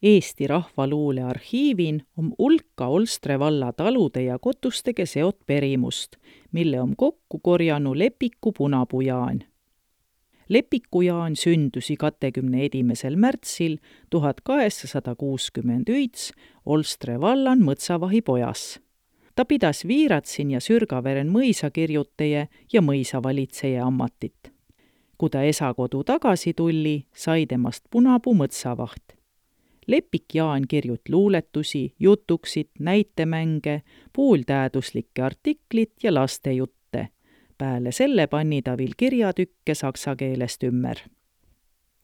Eesti Rahvaluule arhiivin om ulka Olstre valla talude ja kotustege seot perimust, mille om kokku korjanu Lepiku Punapuu-Jaan. Lepiku-Jaan sündüsi 21. märtsil 1869 Olstre vallan Mõtsavahi pojas. Ta pidas Viiratsin ja Sürgaveren mõisakirjutaja ja mõisavalitseja ammatit. Kui ta esakodu tagasi tulli, sai temast Punapuu mõtsavaht. Lepik-Jaan kirjut luuletusi, jutuksit, näitemänge, pooltäaduslikke artiklit ja lastejutte. Pääle selle panni ta viil kirjatükke saksa keelest ümmer.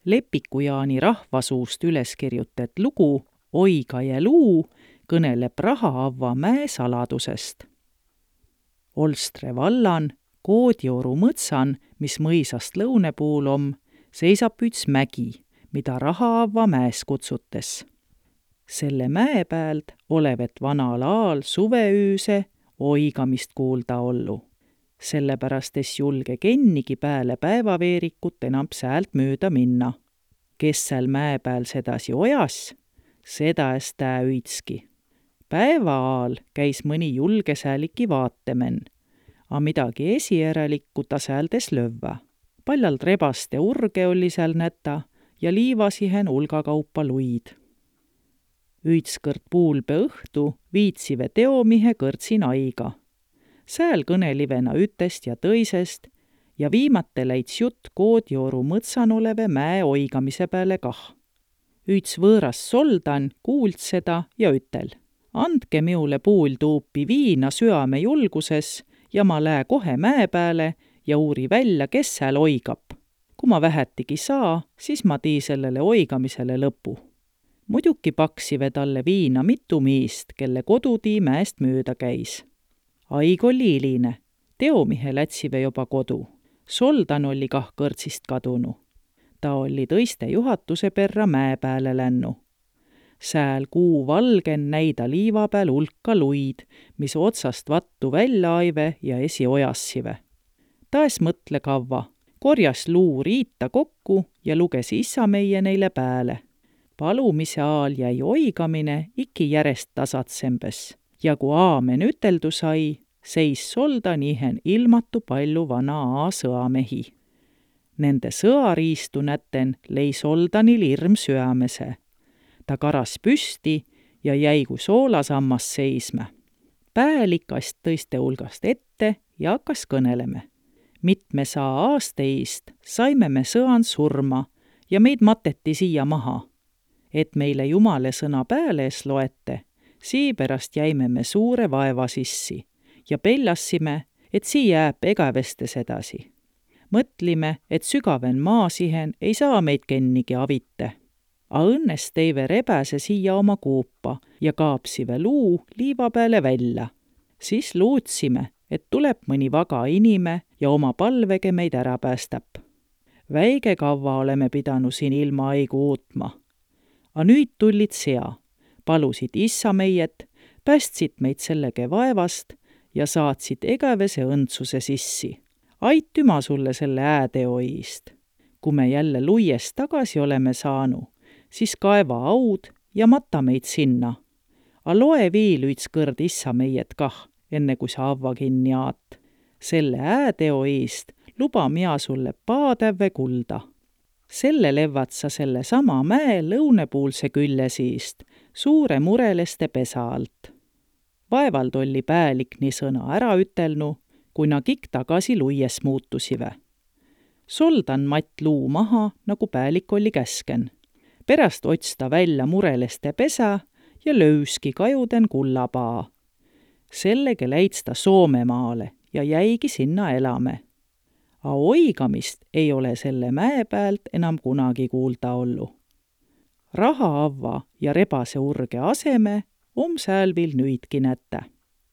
Lepiku-Jaani rahvasuust üles kirjutet lugu Oiga ja luu kõneleb Rahaavva mäe saladusest. Olstre vallan Koodioru mõtsan, mis mõisast lõune puul om, seisab üts mägi, mida Rahaavva mäes kutsutes. Selle mäe päält olevet vanal aal suveüüse oigamist kuulda ollu. Sellepärast es julge kennigi pääle päevaveerikut enam säält mööda minna. Kes seal mäe pääl sedasi ojas, seda es tää üitski. Päeva aal käis mõni julge sääliki vaatemen, a midagi esijärelikku ta sääldes lövvä. Paljalt rebaste urge oli seal näta ja liivasihen ulgakaupa luid. Üitskõrd puulpe õhtu viitsive teomihe kõrtsin aiga. Sääl kõnelivena ütest ja tõisest ja viimate läits jutt Koodioru mõtsan oleve mäe oigamise peale kah. Üts võõras soldan kuuld seda ja ütel: andke miule puul tuupi viina süame julguses ja ma lää kohe mäe pääle ja uuri välja, kes sääl oigab. Kui ma vähetigi saa, siis ma tii sellele oigamisele lõpu. Muidugi paksive talle viina mitu miist, kelle kodutii mäest mööda käis. Aig oli iline, teomihe lätsive juba kodu. Soldan oli kah kõrtsist kadunu. Ta oli tõiste juhatuse perra mäe pääle lännu. Sääl kuu valgen näida liiva pääl ulka luid, mis otsast vattu välja aive ja esi ojassive. Ta es mõtle kavva, korjas luu riita kokku ja luges issa meie neile pääle. Palumise aal jäi oigamine iki järest tasatsembes ja kui aamen üteldu sai, seis soldan ihen ilmatu palju vana aasõamehi. Nende sõariistu näten lei soldanil irm süämese. Ta karas püsti ja jäi kui soolasammas seisme. Päälikast tõiste hulgast ette ja hakkas kõneleme. Mitme saa aasteist saime me sõan surma ja meid mateti siia maha. Et meile Jumale sõna pääle es loete, siipärast jäime me suure vaeva sissi ja peljassime, et sii jääb egavestes edasi. Mõtlime, et sügaven maasihen ei saa meid kennigi avite. A õnnes teive rebäse siia oma kuupa ja kaapsive luu liiva peale välja. Siis luutsime, et tuleb mõni vaga inime ja oma palvege meid ära päästab. Väige kavva oleme pidanud siin ilma aigu uutma. A nüüd tullid sea, palusid issa meiet, päästsid meid sellege vaevast ja saatsid egavese õndsuse sissi. Aitüma sulle selle ääteoist. Kui me jälle luies tagasi oleme saanu, siis kaeva aud ja mata meid sinna. A loe viil üts kõrd issa meiet kah, enne kui sa avva kinni aat. Selle ääteoist luba mina sulle paatäve kulda. Selle levvad sa selle sama mäe lõunepuulse külle siist, suure mureleste pesa alt. Vaevald oli päälik nii sõna ära ütelnu, kui na kik tagasi luies muutusive. Soldan matt luu maha, nagu päälik oli käsken. Pärast otsta välja mureleste pesa ja löyski kajuden kullapaa. Sellege läits ta Soomemaale ja jäigi sinna elame. A oigamist ei ole selle mäe päält enam kunagi kuulda ollu. Rahaavva ja rebase urge aseme sääl viil nüüdki nätä.